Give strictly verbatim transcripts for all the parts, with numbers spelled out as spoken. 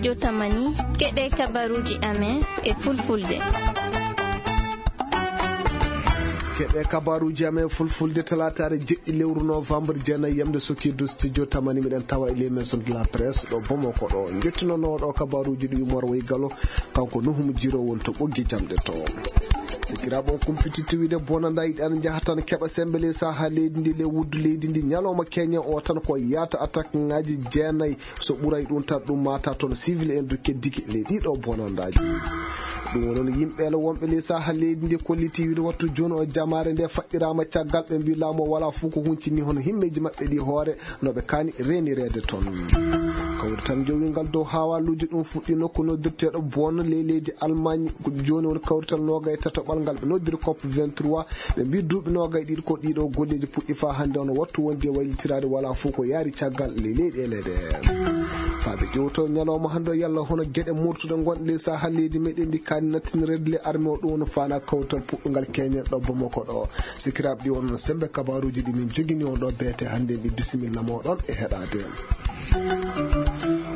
Jotamani, keɗe kabaruuji amen e fulfulde. Keɗe kabaruuji amen e fulfulde talaataare jeɗɗi lewru novembre jeenayi yamde sokirdu studio tamani, miɗen tawa e les maisons de la presse ɗo Bamako ɗo. Njettinooɗo kabaruuji ɗi Umar Way Galo, kanko Nuhum Jiro won to ɓoggi jamɗe to. Sikiraaɓe on kumpititti wiide bonanda yiɗi an njaha tan keɓa sembe ley saha leydi ndi, ley wuddu leydi ndi. Ñalawma keñe o tan ko yaata attaque ŋaaji jeenayi. So ɓuray ɗum tan, ɗum mata toon civil en du keddiki ley ɗiɗo bonandaaji. Ɗum woni yimɓe ele wonɓe ley saha leydi ndi kolliti wiide wattu jooni o jamaare nde faɗɗiraama caggal, ɓe mbi laamu o wala fof ko huncini hono himmeeji maɓɓe ɗi hoore no ɓe kaani reenireede toon. Kawrital jowingal dow hawaluuji ɗum fuɗɗi nokku noddirteeɗo Bonn ley leydi Allemagne. Ko jooni woni kawrital noogay tataɓal ngal ɓe noddiri cop vingt-trois. Ɓe mbi duuɓi noogay ɗiɗi ko ɗiɗo golleeji puɗɗi faa hannde, ono wattu wondi e waylitiraade wala fof ko yaari caggal ley leyɗeele ɗe. Faa ɓe ƴewto ñalawma hannde o yalla hono geɗe murtuɗe ngonɗe ley saha leydi meɗen ndi kaani nattinireede le armée o, ɗum woni faana kawtal puɗɗungal keñen ɗo Bamako ɗo. Sikiraaɓe ɗi wonno sembe kabaruuji ɗi min jogini on ɗo beete hannde ndi. Bisimilla moɗon e heɗaade.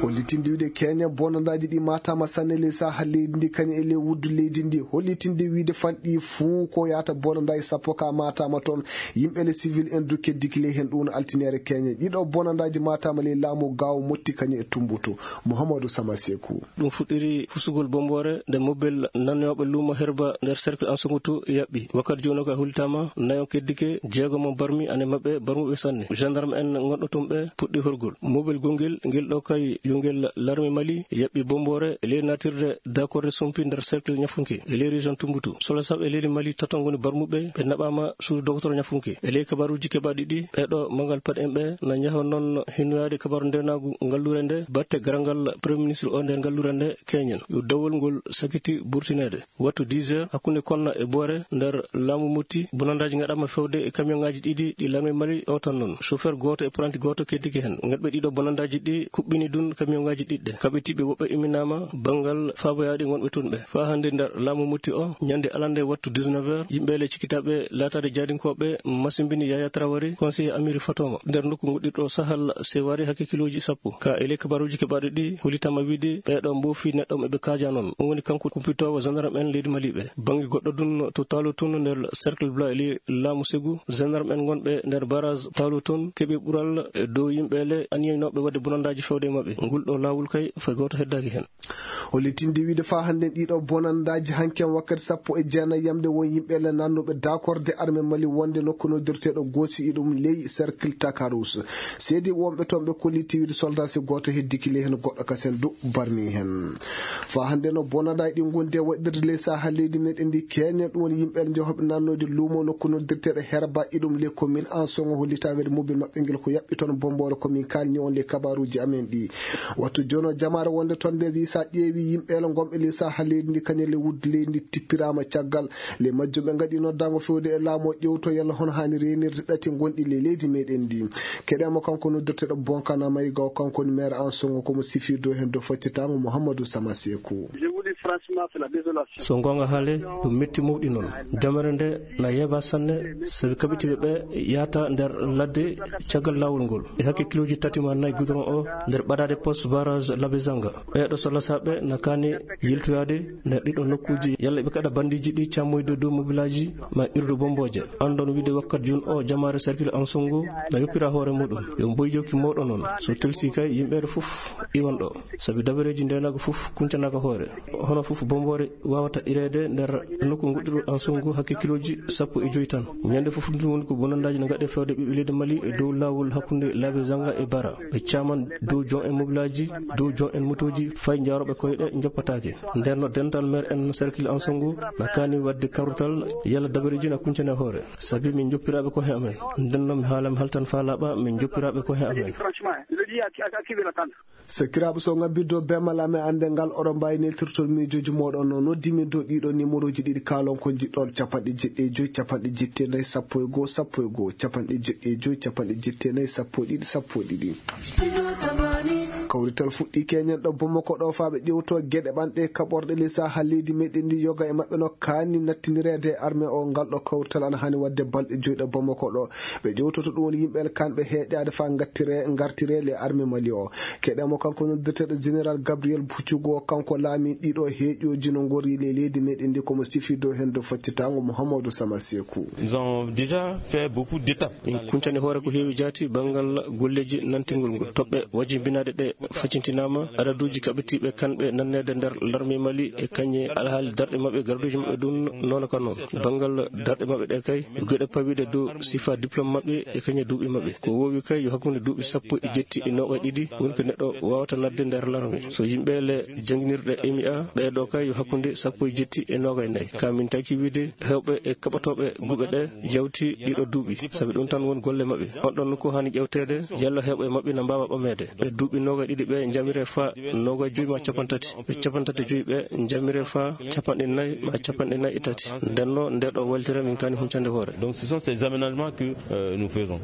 Hollitinde wiide keñe bonandaaji ɗi matama sanne ley saha leydi ndi kañum e ley wuddu leydi ndi. Hollitinde wiide fanɗi fuu ko yaata bonandaaji sappo ka matama toon. Yimɓe le civil en du keddiki ley heen ɗum altiniere keñe ɗiɗo bonandaaji matama ley laamu gaawo motti kañum e tumbutu. Mouhamadou Sama Sekou. Ɗum fuɗɗiri fusugol bomboore nde mobel nannooɓe luumo Herba nder cercle Ansugutu yaɓɓi. Wakkati jooni o ka hultama nayon keddike, jeego mo barmi ane maɓɓe barmuɓe sanne. Gendarme en ngonɗo tun ɓe puɗɗi horgol. Mobel gongel ngel ɗo kay yo ngel larme Mali yaɓɓi bomboore e ley natirde dakorde sumpi nder cercle Ñafunke e ley région Tumbutu. Sola saɓ e leydi Mali tato ngoni barmuɓe ɓe naɓama suudu docteur Ñafunke. E ley kabaruuji keɓaɗi ɗi ɓeɗo mangal paɗ en ɓe na njaha noon hinnoyaade kabaru ndenaagu ngallure nde batte garangal premier ministre o nder ngallure nde keñen. Yo dawol ngol sakiti burtineede. Wattu dix heures, hakkunde Konna e Boore, nder laamu Motti, bonandaaji ngaɗaama fewde e kamiyonŋaaji ɗiɗi ɗi larme Mali o tan noon. Chauffeur gooto e apprenti gooto keddike heen. Ngaɗɓe ɗiɗo bonandaaji ɗi kuɓɓini dun kamiyonŋaaji ɗiɗɗe. Kaɓitiiɓe woɓɓe imminaama banngal faaboyaaɗi ngonɓe tun ɓe. Faa hannde nder laamu Motti o, ñande alande wattu dix-neuf heures, yimɓe le cikkitaaɓe laataade jaadinkooɓe masimbini Yaya Traoré, conseiller Amiri Fatoma, nder nokku ngoɗɗirɗo Sahal Sewari hakke kilooji sappo. Ka e ley kabaruuji keɓaaɗi ɗi, hollitama wiide ɓeeɗo mboofi neɗɗo mo ɓe kaaja noon. Ɗum woni kanko kumpitoowo gendarme en leydi Mali ɓe. Bannge goɗɗo dun to Taalo tun nder cercle Bla e ley laamu Segu, gendarme en ngonɓe nder barrage Taalo tun keɓi ɓural e dow yimɓe le aniyaynooɓe waɗde bonandaaji fewde e maɓɓe. Ngol ɗo laawol kay fay gooto heddaaki heen. Hollitinde wiide faa hannde ɗiɗo bonandaaji hanken wakkati sappo e jeenayi yamde won yimɓe le nannuɓe dakorde armée Mali wonde nokku noddirteeɗo Goosi e ɗum ley cercle Takarous. Seedi wonɓe toon ɓe kolliti wiide soldat si gooto heddiki ley heen goɗɗo kasen du barmi heen. Faa hannde no bonandaaji ɗi ngondi e waɗirde ley saha leydi meɗen ndi keñen ɗum woni yimɓe le njohoɓe nannoyde luumo nokku noddirteeɗo Herba e ɗum ley commune Ansongo hollita wiide mobel maɓɓe ngel ko yaɓɓi toon bomboore ko min kalni on ley kabaruuji amen ɗi. Wattu jooni o jamaare wonde toon nde wi sa ƴeewi yimɓe le ngonɓe ley saha leydi ndi kañum le wuddu leydi ndi tippiraama caggal le majjum ɓe ngaɗi noddaango fewde e laamu o ƴewto yalla hono haani reenirde ɗati ngonɗi ley leydi meɗen ndi. Keɗemo kanko noddirteeɗo Bonkana Mayiga o kanko woni maire Ansongo komo sifi dow heen dow faccitaango Mouhamadou Sama Sekou. So goonga haale ɗum metti mawɗi noon. Damere nde na yeeba sanne sabi kaɓitiiɓe ɓe yaata nder ladde caggal laawol ngol e hakke kilooji tati ma nayi goudron o nder ɓadaade poste barrage Labezanga. Ɓeeɗo so lasaaɓe na kaani yiltoyaade nder ɗiɗo nokkuuji yalla ɓe kaɗa bandiiji ɗi cammoyde dow mobilaaji ma irdu bombooje. Anndon wiide wakkati jooni o jamaare cercle Ansongo na yoppira hoore muɗum. Yo mboyjoki mawɗo noon so telsi kay yimɓeere fof iwan ɗo. Sabi dabareeji ndeenaagu fof kuncanaaka hoore. Hono fof bomboore waawata ireede nder nokku ngoɗɗiru Ansungu hakke kilooji sappo e joy tan. Ñande fof ɗum woni ko bonandaaji no ngaɗe fewde ɓiɓɓe leydi Mali e dow laawol hakkunde Labezanga e Bara. Ɓe caaman dow jon en mobilaaji, dow jon en motooji, fay njaarooɓe koyɗe njoppataake. Nden no dental maire en cercle Ansungu na kaani waɗde kawrital yalla dabareeji na kuncane hoore. Sabi min njoppiraaɓe ko he amen. Nden no mi haala mi haltan faa laaɓa min njoppiraaɓe ko he amen. Sakiraaɓe, so ngabbirde o bemmal amen annde ngal, oɗon mbaawi neltirtol miijooji mooɗon no noddi min dow ɗiɗo numéroji ɗiɗi kaalon ko njiɗɗon, capanɗe jeɗɗi e joy, capanɗe jeɗɗi e nayi, sappo e goo, sappo e goo, capanɗe jeɗɗi e joy, capanɗe jeɗɗi e nayi, sappo e ɗiɗi, sappo e ɗiɗi. Kawrital fuɗɗii keñen ɗo Bamako ɗo, faa ɓe ƴewto geɗe ɓanɗe kaɓorɗe ley sahaa leydi meɗen ndi. Yoga e maɓɓe no kaani nattindireede e armée o. Ngal ɗo kawrital ana haani waɗde balɗe joyi ɗo Bamako ɗo. Ɓe ƴewtoto ɗum woni yimɓe en kanɓe heeƴaade faa ngattire, ngartire le armée Mali o. Keɗe mo kanko noddirteeɗo Général Gabriel Bucugo, kanko laami ɗiɗo heeƴooji no ngori le leydi meɗen ndi, komo sifi dow heen dow faccitaango Mouhamadou Sama Sekou. Nous avons déjà fait beaucoup d'étapes. Min kuncani hoore ko heewi jaati banngal golleeji nantingol ngol. Toɓɓe wajibinaaɗe ɗe facintinaama, adaduuji kaɓitiiɓe kanɓe nanneede nder larme Mali e kañe alhaali darɗe maɓɓe, garduuji maɓɓe ɗum noon ka noon. Banngal darɗe maɓɓe ɗe kay, geɗe pawiiɗe dow sifa diplôme maɓɓe e kañe duuɓi maɓɓe. Ko woowi kay yo hakkunde duuɓi sappo e jetti e noogay ɗiɗi woni ko neɗɗo waawata nadde nder larme. So yimɓe le jannginirɗe M I A, ɓee ɗo kay yo hakkunde sappo e jetti e noogay nayi. Ka min taki wiide heewɓe e kaɓatooɓe guɓe ɗe yawti ɗiɗo duuɓi, sabi ɗum tan won golle maɓɓe. On ɗon nokku haani ƴewteede, yalla heewɓe maɓɓe na mbaawa ɓameede. Ɓe duuɓi noogay ɗiɗi ɓe njamire faa noogay joyi ma capanɗe tati. Ɓe capanɗe tati e joyi ɓe njamire faa capanɗe nayi ma capanɗe nayi e tati. Nden no nde ɗo waltira min kaani huncande hoore. Donc ce sont ces aménagements que, euh, nous faisons.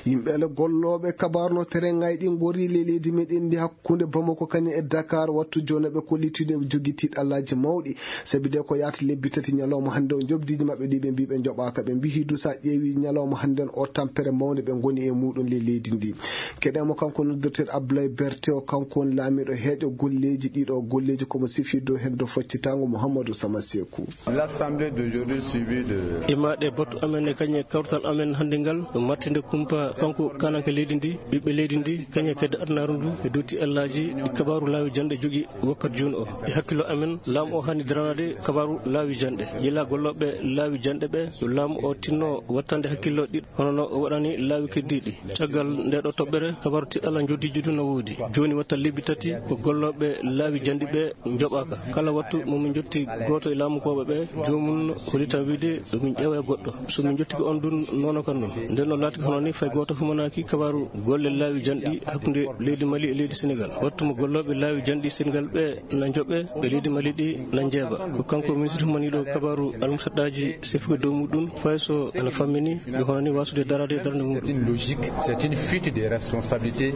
Yimɓe le gollooɓe kabaaru no terengay ɗi ngori le leydi meɗen ndi hakkunde Bamako kañum e Dakar, wattu jooni ɓe kollitude ɓe jogii tiiɗallaaji mawɗi. Sabi de ko yaata lebbi tati ñalawma hannde o, njoɓdiiji maɓɓe ɗi ɓe mbii ɓe njoɓaaka. Ɓe mbii hidu so a ƴeewi ñalawma hannde o, tampere mawnde ɓe ngoni e muɗum le leydi ndi. Keɗe mo kanko noddirteeɗo Abdoulaye Berté o, kanko woni laamiiɗo heeƴo golleeji ɗiɗo golleeji komo sifi dow heen dow faccitaango Mouhamadou Sama Sekou. L'assemblée d'aujourd'hui suivie de. Imaɗe batu amen e kañe kawtal amen hannde ngal, ɗum mattinde kumpa kanko kananke leydi ndi, ɓiɓɓe leydi ndi, kañe kedde adunaaru ndu, e dotti ellaaji ɗi kabaaru laawi jannde jogi wakkat jooni o. E hakkillo amen, laamu o haani daranaade kabaaru laawi jannde. Yila gollooɓe laawi jannde ɓe, yo laamu o tinno wattande hakkillo ɗiɗo, hono no o waɗani laawi keddiiɗi. Caggal nde ɗo toɓɓere, kabaaru tiɗɗalla njoddiiji du no woodi. Jooni watta lebbi tati ko gollooɓe laawi jannde ɓe njoɓaaka. Kala wattu mo min njotti gooto e laamukooɓe ɓe, joomum hollitan wiide yo min ƴeewa e goɗɗo. So min njottike on dun nono kan non. Nden no laati hono ni fay gooto humanaaki kabaaru golle laawi janɗi hakkunde leydi Mali e leydi Senegal. Wattu mo gollooɓe laawi janɗi Senegal ɓe na njoɓe, ɓe leydi Mali ɗi na njeeɓa. Ko kanko ministre humaniiɗo kabaaru almusaɗɗaaji sefude dow muɗum, fay so ana fammini yo hono ni waasude daraade e darnde muɗum. C'est une logique, c'est une fuite de responsabilité.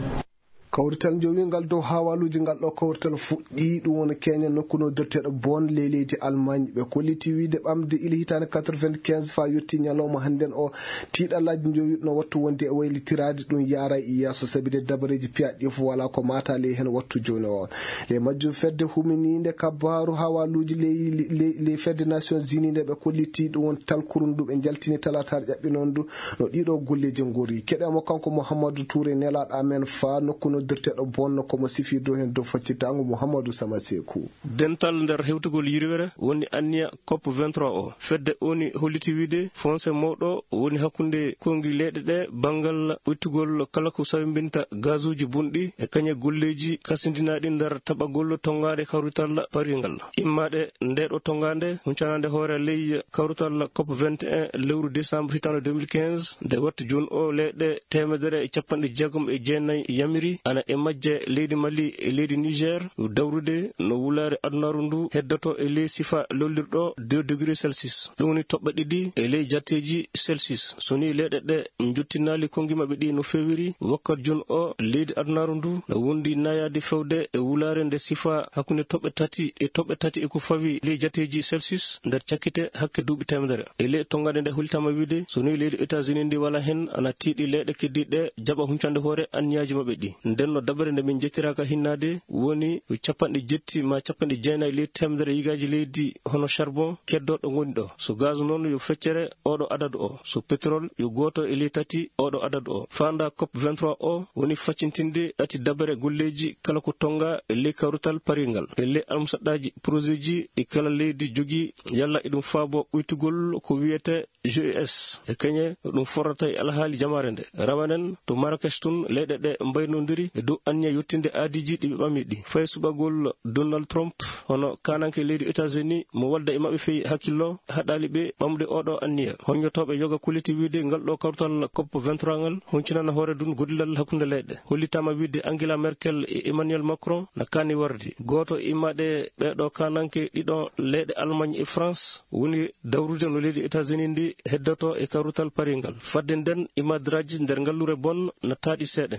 Kawrital njowingal dow haawaaluuji ngal ɗo kawrital fuɗɗii, ɗum woni keña nokku noddirteeɗo Bonn ley leydi Allemagne. Ɓe kolliti wiyde ɓamde ila hitaande quatre-vingt-quinze faa yettii ñalawma hannden o, tiiɗallaaji njowiiɗo no wattu wonde e waylitiraade, ɗum yaara e yeeso, sabi de dabareeji piyaaɗi ɗi fof walaa ko maata ley heen wattu jooni o. Ley majjum fedde huminiinde kabaaru haawaaluuji ley, ley, ley fedde Nations Unies nde ɓe kolliti, ɗum woni talkuru ndu ɓe njaltini talaataare ƴaɓɓinoondu, no ɗiɗo golleeji ngori. Keɗe mo kanko Mouhamadou Touré, nelaaɗo amen faa nokku noddirteeɗo Bonn, ko mo sifi dow heen dow faccitaango Mouhamadou Sama Sekou. Dental nder hewtugol yirwere woni anniya COP vingt-trois o. Fedde woni holliti wiyde fonse mawɗo woni hakkunde konngi leyɗe ɗe banngal ɓuytugol kala ko sawimbinta gazuuji bonɗi e kañe golleeji kasindinaaɗi nder taɓagol tonngaade kawrital Paris ngal. Immaade nde ɗo tongaande huncanaande hoore ley kawrital COP vingt et un lewru décembre hitaande deux mille quinze, nde wattu jooni o leyɗe teemedere e capanɗe jeegom e jeenayi yamiri, ana e majje leydi Mali e leydi Niger, dawrude no wulaare adunaaru ndu heddoto e ley sifa lollirɗo deux degrés Celsius. Ɗum woni toɓɓe ɗiɗi e ley jatteeji Celsius. So ni leyɗe ɗe njottinaali konngi maɓɓe ɗi no feewiri, wakkat jooni o leydi adunaaru ndu no wondi nayaade fewde e wulaare nde sifa hakkunde toɓɓe tati e toɓɓe tati e ko fawi ley jatteeji Celsius nder cakkite hakke duuɓi teemedere. E ley tongaande nde hollitaama wiyde, so ni leydi États-Unis ndi wala heen, ana tiiɗi leyɗe keddiiɗe jaɓa huncande hoore anniyaaji maɓɓe ɗi. Nden no dabere nde min njettiraaka hinnaade woni yo capanɗe jetti ma capanɗe jeenayi ley teemedere yigaaji leydi hono charbon keddooɗo ngoni ɗo. So gaz noon yo feccere oɗo adadu o. So pétrole yo gooto e ley tati oɗo adadu o. Faanda COP vingt-trois o woni faccintinde ɗati dabere golleeji kala ko tonga e ley kawrital Paris ngal. E ley almusaɗɗaaji projet ji ɗi kala leydi jogii yalla eɗum faabo ɓuytugol ko wiyete G E S. E keñe no ɗum forrata e alhaali jamaare nde. Rawanen to Marrakech tun leyɗe ɗe mbaynondiri e dow anniya yettinde aadiiji ɗi ɓe ɓami ɗi. Fay suɓagol Donald Trump hono kananke leydi États-Unis mo walda e maɓɓe fey hakkillo haɗaali ɓe ɓamde oɗo anniya. Hoññotooɓe yoga kolliti wiyde ngal ɗo kawtal COP vingt-trois ngal huncinana hoore dun gollal hakkunde leyɗe. Hollitaama wiyde Angela Merkel e Emmanuel Macron na kaani warde. Gooto e immaɗe ɓeeɗo kananke ɗiɗo leyɗe Allemagne e France woni dawrude no leydi États-Unis ndi heddoto e kawrital Paris ngal. Fadde nden, imadraaji nder ngallure Bonn na taaɗi seeɗa.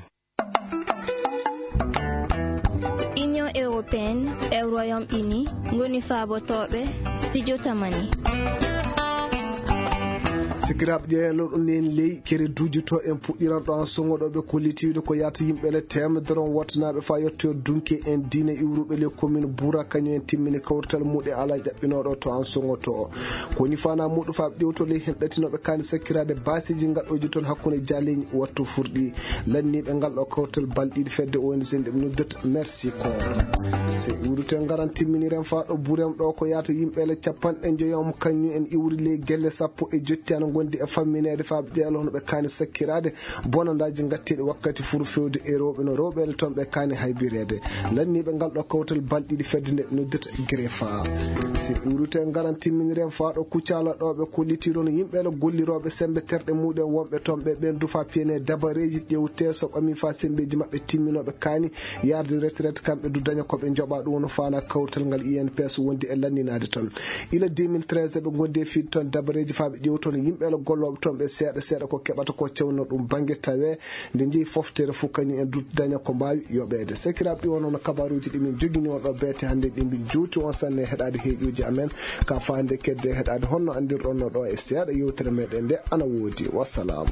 Pen e Royaume Uni ngoni faabotooɓe Studio Tamani. Sikiraaɓe ƴeeloɗo nen ley kere duujuto en puɗɗiran ɗo an sogoɗoɓe ko litiiɗo ko yaata yimɓe le teemedere on wottanaaɓe faa yettoyo dunke en diina iwruɓe le commune Buura kañum en timmini kawrital muɗe ala ƴaɓɓinooɗo to an sogoto. Ko woni fana muɗo faa ɓe ƴewto le hen ɗatinoɓe kaani sakkiraade baasiiji ngaɗooji toon hakkunde jaaleeji wattu furɗi. Lanniiɓe ngal ɗo kawtal balɗiɗi fedde O N G nde ɓe noddata Merci Corps. So iwrite ngaran timminiren faa ɗo burem ɗo ko yaata yimɓe le capanɗe njoyom kañum en iwri ley gelle sappo e jotti ana ngondi e fammineede faa ɓe ƴeelo hono ɓe kaani sakkiraade bonandaaji ngatteeɗi wakkati furu fewde e rewɓe no rewɓe le toon ɓe kaani haybireede. Lanniiɓe ngal ɗo kawtal balɗiɗi fedde nde ɓe noddata Grefa. So iwrite ngaran timminiren faa ɗo kucala ɗo ɓe kollitirono yimɓe le gollirooɓe sembe terɗe muɗen wonɓe toon ɓe ɓen du faa piyene dabareeji ƴewte so ɓami faa sembeeji maɓɓe timminooɓe kaani yarde retraite kamɓe du daña ko ɓe njoɓa ɗum woni fana kawrital ngal I N P S wondi e lanninaade toon. Ila deux mille treize ɓe ngondi e fiide toon dabareeji faa ɓe ƴewtono yimɓe le gollooɓe toon ɓe seeɗa seeɗa ko keɓata ko cewno ɗum bannge tawe nde jeyi foftere fof kañum en du daña ko mbaawi yoɓeede. Sekiraaɓe ɗi wonno no kabaaruuji ɗi min jogini on ɗo beete hannde ɗi min juuti on sanne heɗaade heeƴuuji amen ka faande kedde heɗaade honno anndirɗon no ɗo e seeɗa yewtere meɗen nde ana woodi. Wassalam.